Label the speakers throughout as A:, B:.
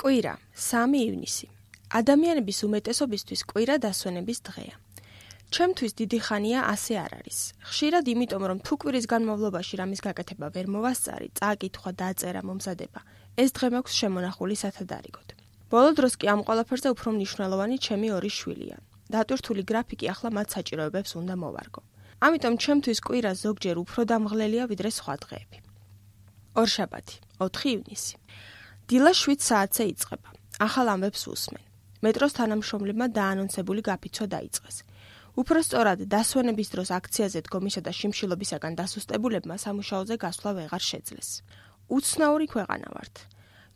A: კვირა, 3 ივნისი. ადამიანების უმეტესობისთვის კვირა დასვენების დღეა. ჩემთვის დიდი ხანია ასე არ არის. ხშირად იმიტომ, რომ თუ კვირის განმავლობაში რამის გაკეთება ვერ მოვასწარი, წაკითხვა, დაწერა, მომზადება, ეს დღე მაქვს შემონახული სათადარიგოდ. ბოლო დროს კი ამ ყველაფერზე უფრო მნიშვნელოვანი ჩემი 2 შვილია. დატვირთული გრაფიკი ახლა მათ საჭიროებებს უნდა მოვარგო. ამიტომ ჩემთვის კვირა ზოგჯერ უფრო დამღლელია ვიდრე სხვა დღეები. ორშაბათი, 4 ივნისი. დილა 7 საათზე იწყება. ახალ ამბებს უსმენ. მეტროს თანამშრომლებმა დაანონსებული გაფიცვა დაიწყეს. უფრო სწორად, დასვენების დროს აქციაზე დგომისა და შიმშილობისაგან დასუსტებულებმა სამუშაოზე გასვლა ვეღარ შეძლეს. უცნაური ქვეყანა ვართ.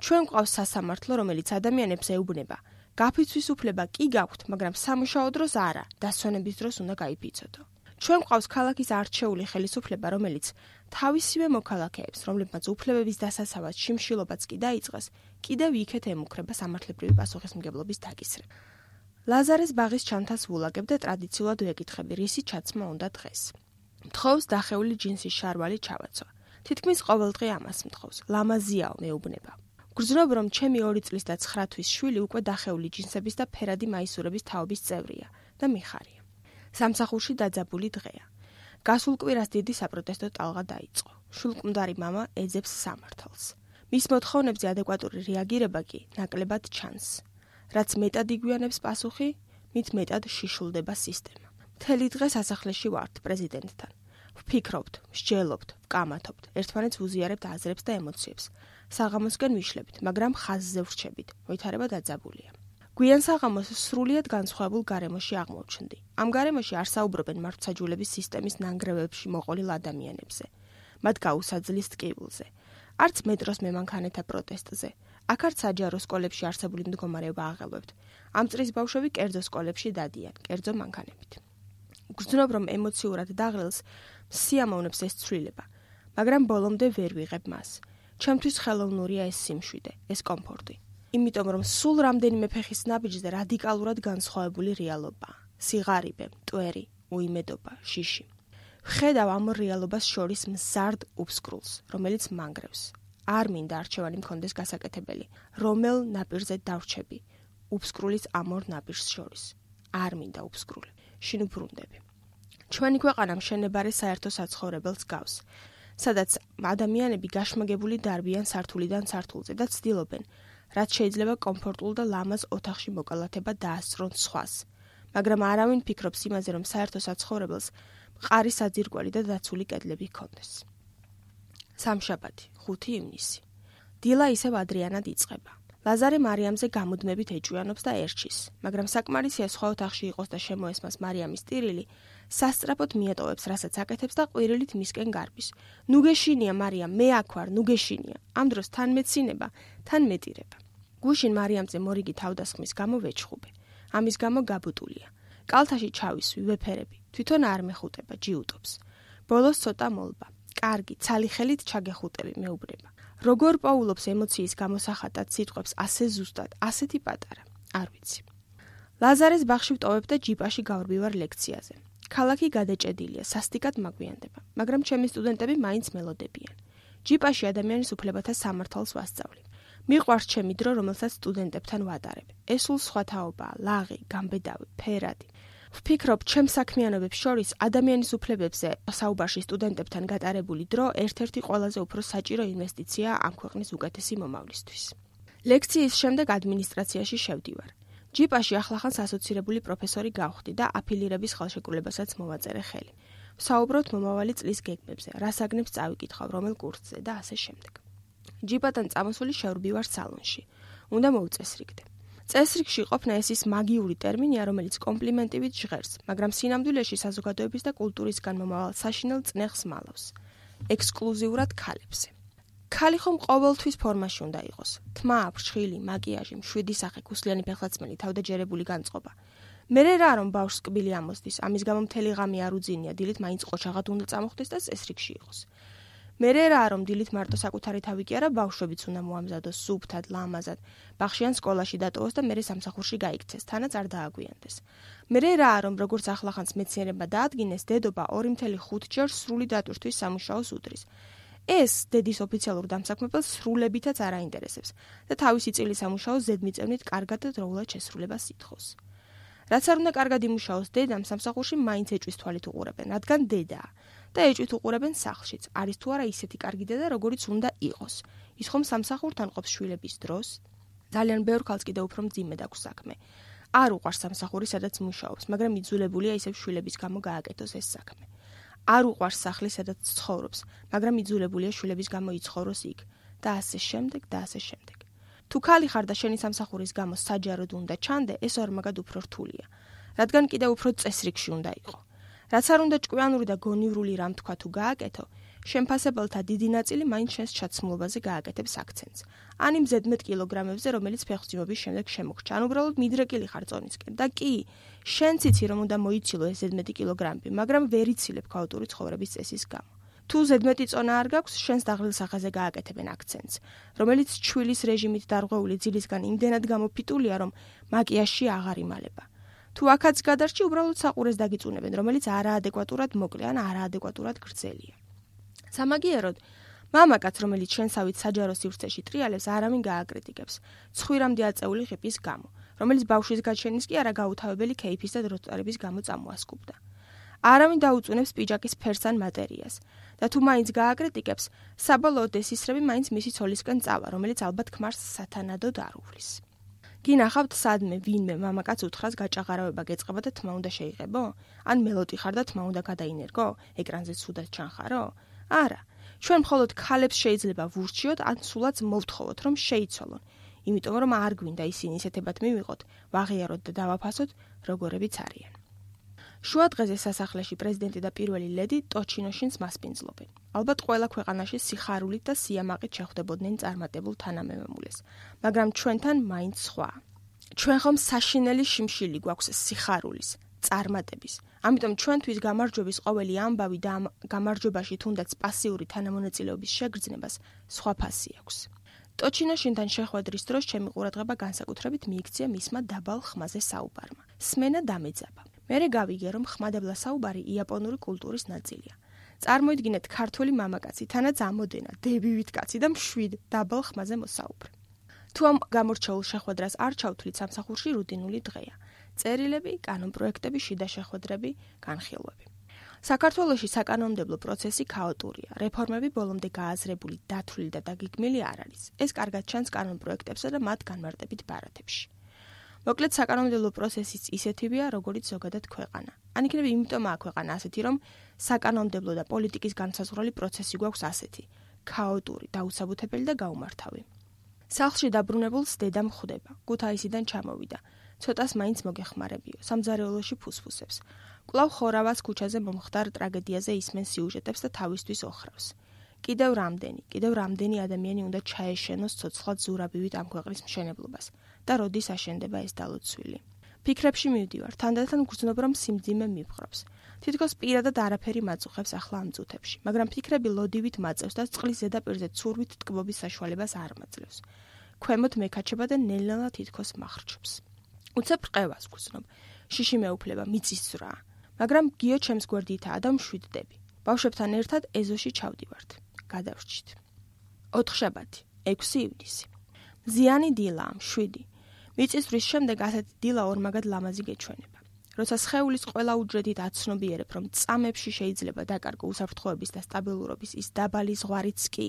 A: ჩვენ გვყავს სასამართლო, რომელიც ადამიანებს ეუბნება. გაფიცვის უფლება კი გაქვთ, მაგრამ სამუშაო დროს არა, დასვენების დროს უნდა გაიფიცოდო. ჩვენ გვყავს ქალაქის არჩეული ხელისუფლება, რომელიც თავისივე მოქალაქეებს, რომლებმაც უფლებების დასაცავად შიმშილობაც კი დაიწყეს, კიდევ იქეთ ემუქრება სამართლებრივი პასუხისმგებლობის დაკისრება. ლაზარეს ბაღის ჩანთას ვულაგებ და ტრადიციულად ვეკითხები, რისი ჩაცმა უნდა დღეს. მთხოვს დახეული ჯინსის შარვალი ჩავაცვა. თითქმის ყოველ დღე ამას მთხოვს. ლამაზიაო, მეუბნება. გრძნობ, რომ ჩემი 2 წლის და 9 თვის შვილი უკვე დახეული ჯინსების და ფერადი მაისურების თაობის წევრია და მიხარია. სამსახურში დაძაბული დღეა. გასულ კვირას დიდი საპროტესტო ტალღა დაიწყო. შულკმდარი მამა ეძებს სამართალს. მის მოთხოვნებზე ადეკვატური რეაგირება კი ნაკლებად ჩანს. რაც მეტად იგვიანებს პასუხი, მით მეტად შიშულდება სისტემა. მთელი დღე სასახლეში ვართ პრეზიდენტთან. ვფიქრობთ, მსჯელობთ, ვკამათობთ, ერთმანეთს ვუზიარებთ აზრებს და ემოციებს. საღამოსკენ ვიშლებით, მაგრამ ხაზზე ვრჩებით, მოითარება დაძაბულია. გვიან საღამოს სრულიად განსხვავებულ გარემოში აღმოჩნდი. ამ გარემოში არ საუბრობენ მართლმსაჯულების სისტემის ნანგრევებში მოყოლილ ადამიანებზე. მათ გაუსაძლის ტკივილზე. არც მეტროს მემანქანეთა პროტესტზე. აქ არც საჯარო სკოლებში არსებული მდგომარეობა აღელვებთ. ამ წრის ბავშვები კერძო სკოლებში დადიან, კერძო მანქანებით. გრძნობ, რომ ემოციურად დაღლილს სიამოვნებს ეს ცვლილება, მაგრამ ბოლომდე ვერ ვიღებ მას. ჩემთვის ხელოვნურია ეს სიმშვიდე, ეს კომფორტი. იმიტომ, რომ სულ რამდენიმე ფეხის ნაბიჯზე რადიკალურად განსხვავებული რეალობაა. სიღარიბე, მტვერი, უიმედობა, შიში. ვხედავ ამ რეალობას შორის მზარდ უფსკრულს, რომელიც მანგრევს. არ მინდა არჩევანი მქონდეს გასაკეთებელი, რომელ ნაპირზე დავრჩები, უფსკრულის ამ 2 ნაპირს შორის. არ მინდა უფსკრული. შინ ვბრუნდები. ჩვენი ქვეყანა მშენებარე საერთო საცხოვრებელს გავს, სადაც ადამიანები გაშმაგებული დარბიან სართულიდან სართულზე და ცდილობენ, რაც შეიძლება კომფორტულ და ლამაზ ოთახში მოკალათება დაასწრონ სხვას. მაგრამ არავინ ფიქრობს იმაზე, რომ საერთო საცხოვრებელს მყარი საძირკველი და დაცული კედლები ჰქონდეს. სამშაბათი, 5 ივნისი. დილა ისევ ადრიანად იწყება. ლაზარე მარიამზე გამუდმებით ეჭვიანობს და ერჩის, მაგრამ საკმარისია სხვა ოთახში იყოს და შემოესმას მარიამის ტირილი, სასწრაფოდ მიატოვებს, რასაც აკეთებს და ყვირილით მისკენ გარბის. ნუ გეშინია, მარიამ, მე აქ ვარ, ნუ გეშინია. ამ დროს თან მეცინება, თან მეტირება. გუშინ მარიამზე მორიგი თავდასხმის გამო ვეჩხუბე. ამის გამო გაბუტულია. კალთაში ჩავისვი, ვეფერები, თვითონ არ მეხუტება, ჯიუტობს. ბოლოს ცოტა მოლბა. კარგი, ცალი ხელით ჩაგეხუტები, მეუბნება. როგორ პაულობს ემოციის გამოსახატად სიტყვებს ასე ზუსტად, ასეთი პატარა, არ ვიცი. ლაზარეს ბაღში ვტოვებ და ჯიპაში გავრბივარ ლექციაზე. ქალაქი გადაჭედილია, სასტიკად მაგვიანდება, მაგრამ ჩემი სტუდენტები მაინც მელოდებიან. ჯიპაში ადამიანის უფლებათა სამართალს ვასწავლი. მიყვარს ჩემი დრო, რომელსაც სტუდენტებთან ვატარებ. ეს სულ სხვა თაობაა, ლაღი, გამბედავი, ფერადი. ვფიქრობ, ჩემ საქმიანობებს შორის ადამიანის უფლებებზე საუბარში სტუდენტებთან გატარებული დრო ერთ-ერთი ყველაზე უფრო საჭირო ინვესტიციაა ამ ქვეყნის უკეთესი მომავლისთვის. ლექციის შემდეგ ადმინისტრაციაში შევდივარ. ჯიპაში ახლახანს ასოცირებული პროფესორი გავხდი და აფილირების ხელშეკრულებასაც მოვაწერე ხელი. ვსაუბრობთ მომავალი წლის გეგმებზე, რა საგნებს წავიკითხავ, რომელ კურსზე და ასე შემდეგ. ჯიპატან წამოსული შევრბივარ სალონში. უნდა მოვწესრიგდე. წესრიგში ყოფნა ეს ის მაგიური ტერმინია, რომელიც კომპლიმენტივით ჟღერს, მაგრამ სინამდვილეში საზოგადოების და კულტურისგან მომავალ საშინელ წნეხს მალავს. ექსკლუზიურად ქალებზე. ქალი ხომ ყოველთვის ფორმაში უნდა იყოს. თმა, ფრჩხილი, მაკიაჟი, მშვიდი სახე, ქუსლიანი ფეხლაცმელი, თავდაჯერებული განწყობა. მერე რა რომ ბავშვს კბილი ამოსდის, ამის გამო მთელი ღამე არ უძინია, დილით მაინც ყოჩაღად უნდა წამოხდეს და წესრიგში იყოს. მერე რა რომ დილით მარტო საკუთარი თავი კი არა, ბავშვებიც უნდა მოამზადოს სუფთად, ლამაზად, ბაღში ან სკოლაში დატოვოს და მერე სამსახურში გაიქცეს, თანაც არ დააგვიანდეს. მერე რა რომ როგორც ახლახანს მეცნიერება დაადგინეს, დედობა 2.5 ჯერ სრული დატვირთვის სამუშაოს უდრის. ეს დედის ოფიციალურ დამსაქმებელს სრულებითაც არ აინტერესებს და თავისი წილის სამუშაოს ზედმიწევნით კარგად და დროულად შესრულებას ითხოვს. რაც არ უნდა კარგად იმუშაოს დედამ, სამსახურში მაინც ეჭვის თვალით უყურებენ, რადგან დედაა და ეჭვით უყურებენ სახლშიც. არის თუ არა ისეთი კარგი დედა, როგორიც უნდა იყოს. ის ხომ სამსახურთან ყოფს შვილების დროს? ძალიან ბევრ ქალს კიდევ უფრო მძიმედ აქვს საქმე. არ უყვარს სამსახური, სადაც მუშაობს, მაგრამ იძულებულია ისევ შვილების გამო გააკეთოს ეს საქმე. არ უყვარს სახლი, სადაც ცხოვრობს, მაგრამ იძულებულია შვილების გამო იცხოვროს იქ და ასე შემდეგ და ასე შემდეგ. თუ ქალი ხარ და შენი სამსახურის გამო საჯაროდ უნდა ჩანდე, ეს ორმაგად უფრო რთულია, რადგან კიდევ უფრო წესრიგში უნდა იყო. რაც არ უნდა ჭკვიანური და გონივრული რამ თქვა თუ გააკეთო, შემფასებელთა დიდი ნაწილი მაინც შენს ჩაცმულობაზე გააკეთებს აქცენტს. ან იმ ზედმეტ კილოგრამებზე, რომელიც ფეხმძიმების შემდეგ შემოგრჩა, ან უბრალოდ მიდრეკილი ხარ წონისკენ და კი, შენც იცი რომ უნდა მოიცილო ეს ზედმეტი კილოგრამები, მაგრამ ვერ იცილებ ქაოტური ცხოვრების წესის გამო. თუ ზედმეტი წონა არ გაქვს, შენს დაღლილ სახეზე გააკეთებენ აქცენტს, რომელიც ჩვილის რეჟიმით დარღვეული ძილისგან იმდენად გამოფიტულია, რომ მაკიაჟში აღარ იმალება. თუ აქაც გადარჩი, უბრალოდ საყურეს დაგიწუნებენ, რომელიც არაადეკვატურად მოკლე ან არაადეკვატურად გრძელია. სამაგიეროდ, მამაკაც, რომელიც შენსავით საჯარო სივრცეში ტრიალებს, არავინ გააკრიტიკებს, ცხვირამდე აწეული ღიპის გამო, რომელიც ბავშვის გაჩენის კი არა გაუთავებელი კეიფის და დროწარების გამო წამოასკუბდა. არავინ დაუწუნებს პიჯაკის ფერს ან მატერიას და თუ მაინც გააკრიტიკებს, საბოლოოდ ეს ისრები მაინც მისი ცოლისკენ წავა, რომელიც ალბათ ქმარს სათანადოდ არ უვლის. გინახავთ სადმე ვინმე მამაკაც უთხრას გაჭაღარავება გეწყება და თმა უნდა შეიღებო? ან მელოტი ხარ და თმა უნდა გადაინერგო? ეკრანზე ცუდად ჩანხარო? არა, ჩვენ მხოლოდ ქალებს შეიძლება ვურჩიოთ ან სულაც მოვთხოვოთ, რომ შეიცვალონ, იმიტომ რომ არ გვინდა ისინი ისეთებად მივიღოთ, ვაღიაროთ და დავაფასოთ, როგორებიც არიან. შუა დღეზე სასახლეში პრეზიდენტი და პირველი ლედი ტოჩინოშინს მასპინძლობენ. ალბათ ყველა ქვეყანაში სიხარულით და სიამაყით შეხვდებოდნენ წარმატებულ თანამემამულეს, მაგრამ ჩვენთან მაინც სხვა. ჩვენ ხომ საშინელი შიმშილი გვაქვს სიხარულის, წარმატების. ამიტომ ჩვენთვის გამარჯვების ყოველი ამბავი და ამ გამარჯვებაში თუნდაც პასიური თანამონაწილეობის შეგრძნებას სხვა ფასი აქვს. ტოჩინოშინთან შეხვედრის დროს ჩემი ყურადღება განსაკუთრებით მიიქცია მისმა დაბალ ხმაზე საუბარმა. სმენა დამეძაბა. მერე გავიგე, რომ ხმადაბლა საუბარი იაპონური კულტურის ნაწილია. წარმოიდგინეთ ქართველი მამაკაცი, თანაც ამოდენა, დებივით კაცი და მშვიდ დაბალ ხმაზე მოსაუბრე. თუ ამ გამორჩეულ შეხვედრას არ ჩავთვლით, სამსახურში რუტინული დღეა. წერილები, კანონპროექტები, შიდა შეხვედრები, განხილვები. საქართველოში საკანონმდებლო პროცესი ქაოტურია. რეფორმები ბოლომდე გააზრებული, დათვლილი და დაგეგმილი არ არის. ეს კარგად ჩანს კანონპროექტებსა და მათ განმარტებით ბარათებში. მოკლედ საკანონმდებლო პროცესიც ისეთივეა, როგორც ზოგადად ქვეყანა. ან იქნება იმიტომაა ქვეყანა ასეთი, რომ საკანონმდებლო და პოლიტიკის განსაზღვრელი პროცესი გვაქვს ასეთი: ქაოტური, დაუსაბუთებელი და გაუმართავი. სახლში დაბრუნებულს დედა მხვდება, ქუთაისიდან ჩამოვიდა. ცოტას მაინც მოგეხმარებიო, სამზარეულოში ფუსფუსებს. კვლავ ხორავას ქუჩაზე მომხდარ ტრაგედიაზე ისმენ სიუჟეტებს და თავისთვის ოხრავს. კიდევ რამდენი ადამიანი უნდა ჩაეშენოს ცოცხლად ზურაბივით ამ ქვეყნის მშენებლობას და როდის აშენდება ეს დალოცვილი. ფიქრებში მივდივარ, თანდათან გრძნობ, რომ სიმძიმე მივხრობს. თითქოს პირადად არაფერი მაწუხებს ახლა ამ წუთებში, მაგრამ ფიქრები ლოდივით მაწევს და წყლის ზედაპირზე ცურვით ტკბობის საშუალებას არ მაძლევს. ქვემოთ მეკაჩება და ნელ-ნელა თითქოს მახრჩობს. უცებ რყევას გრძნობ, შიში მეუფლება, მიწისძვრა, მაგრამ გიო ჩემს გვერდითაა და მშვიდდები. ბავშვებთან ერთად ეზოში ჩავდივართ. გადავრჩით. 4 შაბათი, 6 ივნისი. მზიანი დილაა, 7. მიწისძვრის შემდეგ ასეთი დილა ორმაგად ლამაზი გეჩვენება. როცა სხეულის ყველა უჯრედით აცნობიერებ, რომ წამებში შეიძლება დაკარგო უსაფრთხოების და სტაბილურობის ის დაბალი ზღვარიც კი,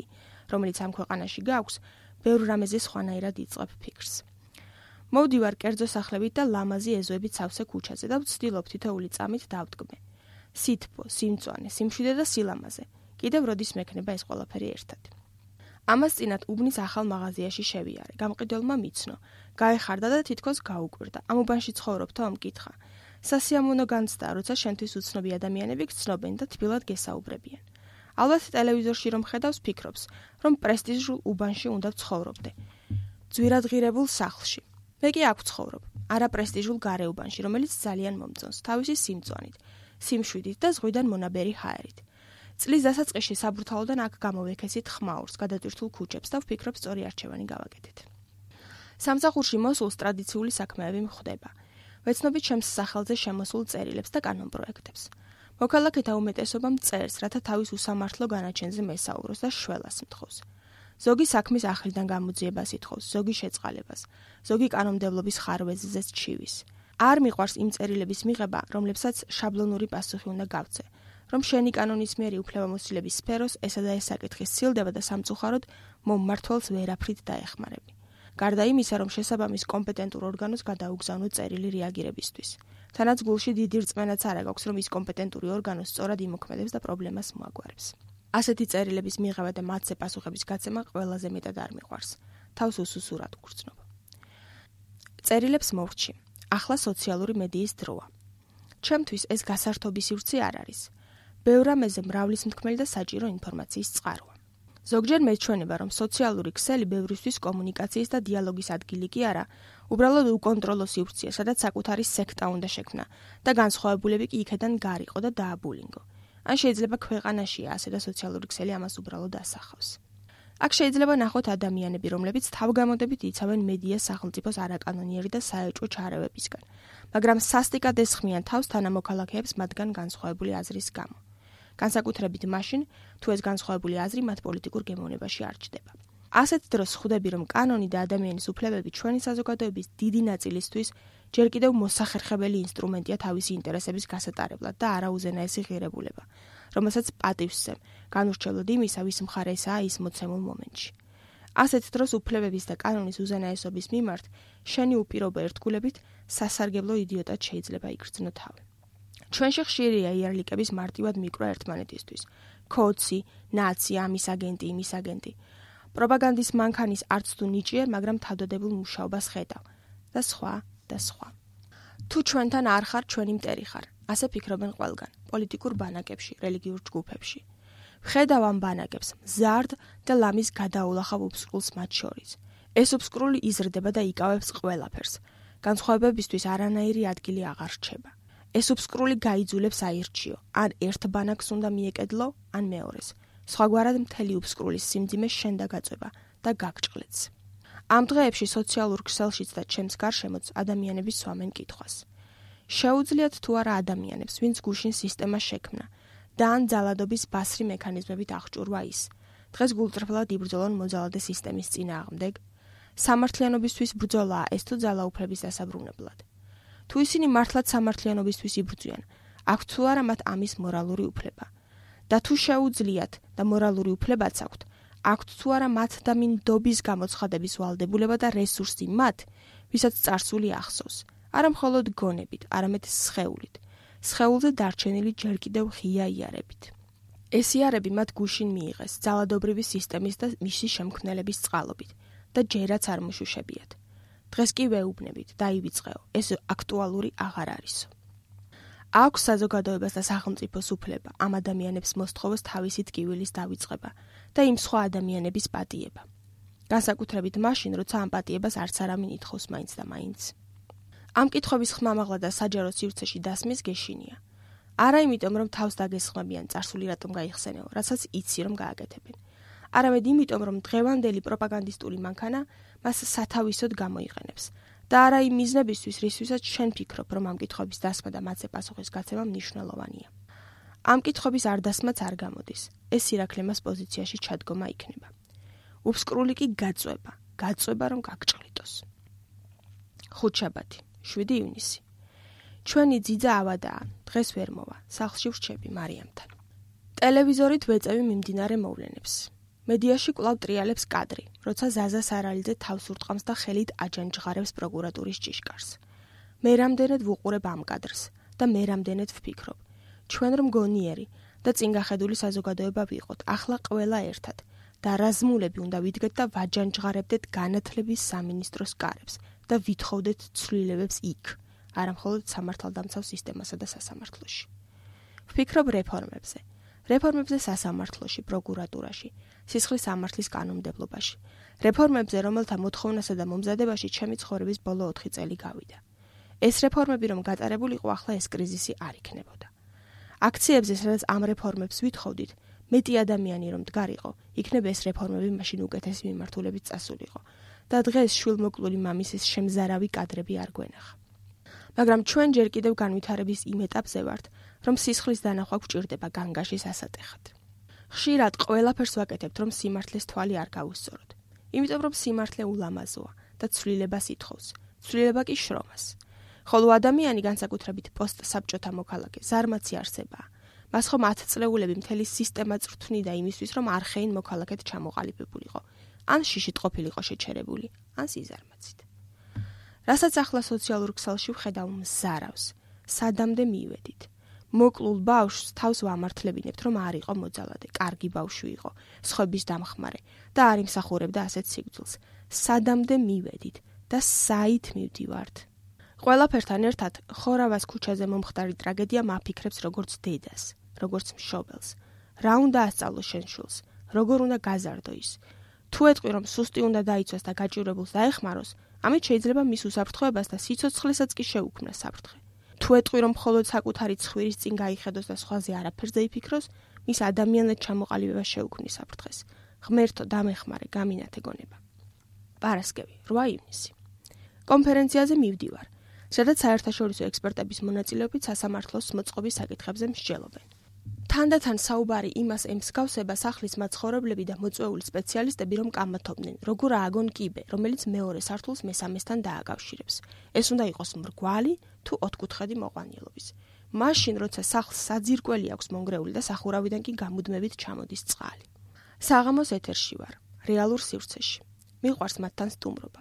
A: რომელიც ამ ქვეყანაში გაქვს, ბევრ რამეზე სხვანაირად იწყებ ფიქრს. მოვდივარ კერძო სახლებით და ლამაზი ეზოებით სავსე ქუჩაზე და ვცდილობ თითოეული წამით დავდგმე. სითბო, სიმწვანე, სიმშვიდე და სილამაზე. კიდევ როდის მექნება ეს ყველაფერი ერთად. ამას წინათ უბნის ახალ მაღაზიაში შევიარე. გამყიდველმა მიცნო, გაეხარდა და თითქოს გაუკვირდა. ამ უბანში ცხოვრობთო? მკითხა. სასიამოვნო განცდა, როცა შენთვის უცნობი ადამიანები გცნობენ და თბილად გესაუბრებიან. ალბათ ტელევიზორში რომ ხედავს, ფიქრობს, რომ პრესტიჟულ უბანში უნდა ვცხოვრობდე. ძვირადღირებულ სახლში. მე კი აქ ვცხოვრობ, არა პრესტიჟულ გარეუბანში, რომელიც ძალიან მომწონს, თავისი სიმწვანით, სიმშვიდით და ზღვიდან მონაბერი ჰაერით. წლის დასაწყისში საბრთაოდან აქ გამოვექესით ხმაურს, გადატვირთულ ქუჩებს და ვფიქრობ სწორი არჩევანი გავაკეთეთ. სამსახურში მოსულს ტრადიციული საქმეები მხვდება. ვეცნობით ჩემს სახელზე შემოსულ წერილებს და კანონპროექტებს. მოქალაქეთა უმეტესობა მწერს, რათა თავის უსამართლო განაჩენზე მესაუბროს და შველას მთხოვს. ზოგი საქმის ახლიდან გამოძიებას ითხოვს, ზოგი შეწყალებას, ზოგი კანონმდებლობის ხარვეზზეც ჩივის. არ მიყვარს იმ წერილების მიღება, რომლებსაც შაბლონური პასუხი უნდა გავცე, რომ შენი კანონისმიერი უფლებამოსილების სფეროს ესა და ეს საკითხი სცილდება და სამწუხაროდ მომმართველს ვერაფრით დაეხმარები. გარდა იმისა, რომ შესაბამის კომპეტენტურ ორგანოს გადაუგზავნო წერილი რეაგირებისთვის. თანაც გულში დიდი რწმენაც არ აქვს, რომ ის კომპეტენტური ორგანო სწორად იმოქმედებს და პრობლემას მოაგვარებს. ასეთი წერილების მიღება და მათზე პასუხების გაცემა ყველაზე მეტად არ მიყვარს. თავს უსუსურად გგრძნობ. წერილებს მოვრჩი. ახლა სოციალური მედიის დროა. ჩემთვის ეს გასართობი სივრცე არ არის. ბევრ რამეზე მრავლის მთქმელი და საჭირო ინფორმაციის წყაროა. ზოგჯერ მეჩვენება, რომ სოციალური ქსელი ბევრისთვის კომუნიკაციის და დიალოგის ადგილი კი არა, უბრალოდ უკონტროლო სივრცეა, სადაც საკუთარი სექტა უნდა შექმნა და განსხვავებულები კი იქიდან გარიყო და დააბულინგო. ან შეიძლება ქვეყანაშია ასე და სოციალური ქსელი ამას უბრალოდ ასახავს. აქ შეიძლება ნახოთ ადამიანები, რომლებიც თავგამოდებით იცავენ მედიას სახელმწიფოს არაკანონიერი და საეჭვო ჩარევებისგან, მაგრამ სასტიკად ესხმიან თავს თანამოქალაქეებს მათგან განსხვავებული აზრის გამო. განსაკუთრებით მაშინ, თუ ეს განსხვავებული აზრი მათ პოლიტიკურ გემოვნებაში არ ჩდება. ასეთ დროს ხვდები, რომ კანონი და ადამიანის უფლებები ჩვენი საზოგადოების დიდი ნაწილისთვის ჯერ კიდევ მოსახერხებელი ინსტრუმენტია თავისი ინტერესების გასატარებლად და არა უზენაესი ღირებულება, რომელსაც პატივსცემ, განურჩევლად იმისა, ვის მხარე ესაა ის მოცემულ მომენტში. ასეთ დროს უფლებების და კანონის უზენაესობის მიმართ შენი უპირობო ერთგულებით სასარგებლო იდიოტად შეიძლება იგრძნო თავი. ჩვენში ხშირია იარლიკების მარტივად მიკრო ერთმანეთისთვის. კოცი, ნაცი, ამის აგენტი, იმის აგენტი. პროპაგანდის მანქანის არც თუ ნიჭიერ, მაგრამ თავდადებულ მუშაობას ხედავ და სხვა და სხვა. თუ ჩვენთან არ ხარ, ჩვენი მტერი ხარ. ასე ფიქრობენ ყველგან, პოლიტიკურ ბანაკებში, რელიგიურ ჯგუფებში. ვხედავ ამ ბანაკებს, მზარდ და ლამის გადაულახავ უბსკრულს მათ შორის. ეს უბსკრული იზრდება და იკავებს ყველაფერს. განსხვავებებისთვის არანაირი ადგილი აღარ რჩება. ეს უბსკრული გაიძულებს აირჩიო, ან ერთ ბანაკს უნდა მიეკედლო, ან მეორეს. სხვაგვარად მთელი უბსკრულის სიმძიმე შენ დაგაწובה და გაგჭყლეთს. ამ დღეებში სოციალურ ქსელშიც და ჩემს გარშემოც ადამიანები სვამენ კითხვას. შეუძლიათ თუ არა ადამიანებს, ვინც გუშინ სისტემა შექმნა და ან ძალადობის ბასრი მექანიზმებით აღჭურვა ის. დღეს გულწრფელად იბრძოლონ მოძალადე სისტემის წინააღმდეგ. სამართლიანობისთვის ბრძოლაა ეს თუ ძალაუფლების დასაბრუნებლად. თუ ისინი მართლაც სამართლიანობისთვის იბრძვიან, აქვთ თუ არა მათ ამის მორალური უფლება. და თუ შეუძლიათ და მორალური უფლებაც აქვთ, აქვთ თუ არა მათ და მინდობის გამოცხადების ვალდებულება და რესურსი მათ, ვისაც წარსული ახსოვს, არა მხოლოდ გონებით, არამედ სხეულით. სხეულზე დარჩენილი ჯერ კიდევ ღია იარებით. ეს იარები მათ გუშინ მიიღეს ძალადობრივი სისტემის და მისი შემქმნელების წყალობით და ჯერაც არ მოშუშებიათ. დღეს კი ვეუბნებით, დაივიწყეო, ეს აქტუალური აღარ არისო. აქვს საზოგადოებას და სახელმწიფოს უფლება ამ ადამიანებს მოსთხოვოს თავისი ტკივილის დავიწყება და იმ სხვა ადამიანების პატიება. განსაკუთრებით მაშინ, როცა ამ პატიებას არც არავინ ითხოვს მაინც და მაინც. ამ კითხვების ხმამაღლა და საჯარო სივრცეში დასმის გეშინია. არა იმიტომ, რომ თავს დაგესხმებიან წარსული რატომ გაიხსენეო, რასაც იცი რომ გააკეთებენ. არამედ იმიტომ, რომ დღევანდელი პროპაგანდისტული მანქანა მას სათავისოდ გამოიყენებს. და არა იმ მიზნებისთვის, რისთვისაც შენ ფიქრობ, რომ ამ კითხვების დასმა და მათზე პასუხის გაცემა მნიშვნელოვანია. ამ კითხვების არ დასმაც არ გამოდის. ეს სირაქლემას პოზიციაში ჩადგომა იქნება. უბსკრული კი გაწובה, რომ გაგჭყლიტოს. ხუთშაბათი, 7 ივნისი. ჩვენი ძიძა ავადაა, დღეს ვერ მოვა, სახლში ვრჩები მარიამთან. ტელევიზორით ვეწევი მიმდინარე მოვლენებს. მედიაში კვლავ ტრიალებს კადრი, როცა ზაზა სარალიძე თავს ურტყამს და ხელით აჯანჯღარებს პროკურატურის ჭიშკარს. მე რამდენად ვუყურებ ამ კადრს და მე რამდენად ვფიქრობ, ჩვენ რომ გონიერი და წინგახედული საზოგადოება ვიყოთ, ახლა ყველა ერთად და რაზმულები უნდა ვიდგეთ და ვაჯანჯღარებდეთ განათლების სამინისტროს კარებს და ვითხოვდეთ ცვლილებებს იქ, არა მხოლოდ სამართალდამცავ სისტემასა და სასამართლოში. ვფიქრობ რეფორმებზე. რეფორმებზე სასამართლოში, პროკურატურაში, სისხლის სამართლის კანონმდებლობაში. რეფორმებზე, რომელთა მოთხოვნასა და მომზადებაში ჩემი ცხოვრების ბოლო 4 წელი გავიდა. ეს რეფორმები რომ გატარებულიყო, ახლა ეს კრიზისი არ იქნებოდა. აქციებზე, სადაც ამ რეფორმებს ვითხოვდით, მეტი ადამიანი რომ დგარიყო, იქნებ ეს რეფორმები მაშინ უკეთესი მიმართულებით წასულიყო და დღეს შვილმოკლული მამის ეს შემზარავი კადრები არ გვენახა. მაგრამ ჩვენ ჯერ კიდევ განვითარების იმ ეტაპზე ვართ, რომ სისხლის დანახვა გვჭირდება განგაშის ასატეხად. ხშირად ყველაფერს ვაკეთებთ, რომ სიმართლეს თვალი არ გავუსწოროთ. იმიტომ რომ სიმართლე ულამაზოა და ცვლილებას ითხოვს. ცვლილება კი შრომას. ხოლო ადამიანი განსაკუთრებით პოსტსაბჭოთა მოქალაქე ზარმაცი არსებაა. მას ხომ 10 წლეულები მთელი სისტემა წვრთნიდა იმისთვის, რომ არხეინ მოქალაქედ ჩამოყალიბებულიყო, ან შიშით ყოფილიყო შეჩერებული, ან სიზარმაცით. რასაც ახლა სოციალურ ქსელში ვხედავ მზარავს, სადამდე მივედით. მოკლულ ბავშვს თავს ვამართლებინებთ, რომ არ იყო მოძალადე, კარგი ბავშვი იყო, სხვების დამხმარე და არ იმსახურებდა ასეთ სიგრძულს. სადამდე მივედით და საით მივდივართ. ყველაფერთან ერთად ხორავას ქუჩაზე მომხდარი ტრაგედია მაფიქრებს როგორც დედას, როგორც მშობელს. რა უნდა ასწავლოს შენ შვილს, როგორ უნდა გაზარდო ის. თუ ეტყვი, რომ სუსტი უნდა დაიცვას და გაჭირებულს დაეხმაროს, ამით შეიძლება მის უსაფრთხოებას და სიცოცხლესაც კი შეუქმნას საფრთხე. თუ ეტყვი, რომ მხოლოდ საკუთარი ცხვირის წინ გაიხედოს და სხვაზე არაფერზე იფიქროს, მის ადამიანად ჩამოყალიბებას შეუქმნის საფრთხეს. ღმერთო, დამეხმარე, გამინათე გონება. პარასკევი, 8 ივნისი. კონფერენციაზე მივდივარ, სადაც საერთაშორისო ექსპერტების მონაწილეობით სასამართლოს მოწყობის საკითხებზე მსჯელობენ. თანდათან საუბარი იმას ემსგავსება სახლის მაცხოვრებლები და მოწვეული სპეციალისტები, რომ კამათობდნენ, როგორ ააგონ კიბე, რომელიც მეორე სართულს მესამესთან დააკავშირებს. ეს უნდა იყოს მრგვალი თუ ოთხკუთხედი მოყვანილობის. მაშინ, როცა სახლს საძირკველი აქვს მონგრეული და სახურავიდან კი გამუდმებით ჩამოდის წყალი. საღამოს ეთერში ვარ, რეალურ სივრცეში. მიყვარს მათთან სტუმრობა.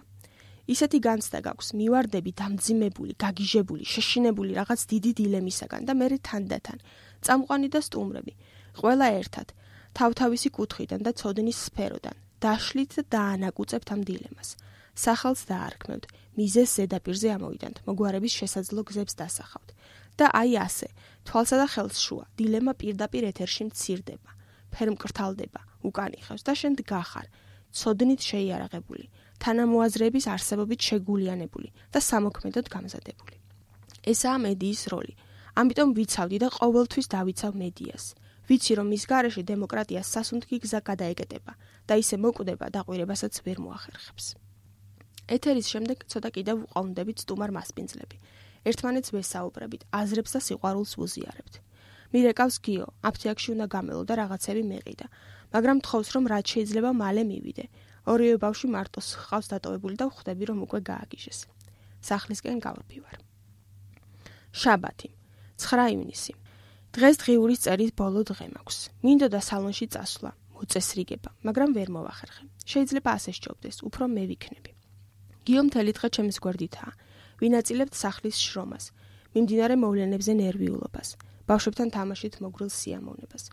A: ისეთი განცდა გაქვს, მივარდები დამძიმებული, გაგიჟებული, შეშინებული რაღაც დიდი დილემისაგან და მერე თანდათან წამყვანი და სტუმრები, ყველა ერთად, თავთავისი კუთხიდან და ცოდნის სფეროდან, დაშლით და დაანაკუწებთ ამ დილემას. სახელს დაარქმევთ, მიზეს ზედაპირზე ამოვიდანთ, მოგვარების შესაძლო გზებს დასახავთ. და აი ასე, თვალსა და ხელს შუა, დილემა პირდაპირ ეთერში მცირდება, ფერმკრთალდება, უკან იხევს და შენ დგახარ, ცოდნით შეიარაღებული, თანამოაზრეების არსებობით შეგულიანებული და სამოქმედოდ გამზადებული. ესაა მედიის როლი. ამიტომ ვიცავდი და ყოველთვის დავიცავ მედიას. ვიცი, რომ მის გარეშე დემოკრატიას სასუნთქი გზა გადაეკეტება და ისე მოკვდება დაყვირებასაც ვერ მოახერხებს. ეთერის შემდეგ ცოტა კიდევ ვყავდებით სტუმარ მასპინძლები. ერთმანეთს ვესაუბრებით, აზრებს და სიყვარულს ვუზიარებთ. მირეკავს გიო, აფთიაქში უნდა გამელო და რაღაცები მეყიდა, მაგრამ თხოვს, რომ რაც შეიძლება მალე მივიდე. ორივე ბავშვი მარტოს ჰყავს დატოვებული და ვხვდები, რომ უკვე გააგიჟეს. სახლისკენ გავდივარ. შაბათი, 9 ივნისი. დღეს დღიურის წერის ბოლო დღე მაქვს. მინდოდა სალონში წასვლა, მოწესრიგება, მაგრამ ვერ მოვახერხე. შეიძლება ასე სჯობდეს, უფრო მე ვიქნები. გიო მთელი დღე ჩემს გვერდითაა. ვინაწილებთ სახლის შრომას, მიმდინარე მოვლენებზე ნერვიულობას, ბავშვებთან თამაშით მოგრილ სიამოვნებას.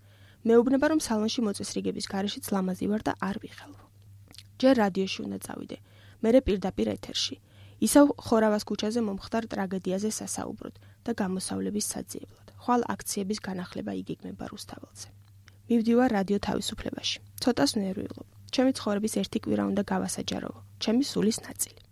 A: მეუბნება, რომ სალონში მოწესრიგების გარეშეც ლამაზი ვარ და არ ვიხელვო. ჯერ რადიოში უნდა წავიდე, მერე პირდაპირ ეთერში. ისევ ხორავას ქუჩაზე მომხდარ ტრაგედიაზე სასაუბროდ და გამოსავლების საძიებლად. ხვალ აქციების განახლება იგეგმება რუსთაველზე. მივდივარ რადიო თავისუფლებაში. ცოტას ნერვიულობ. ჩემი ცხოვრების ერთი კვირა უნდა გავასაჯაროვო, ჩემი სულის ნაწილი.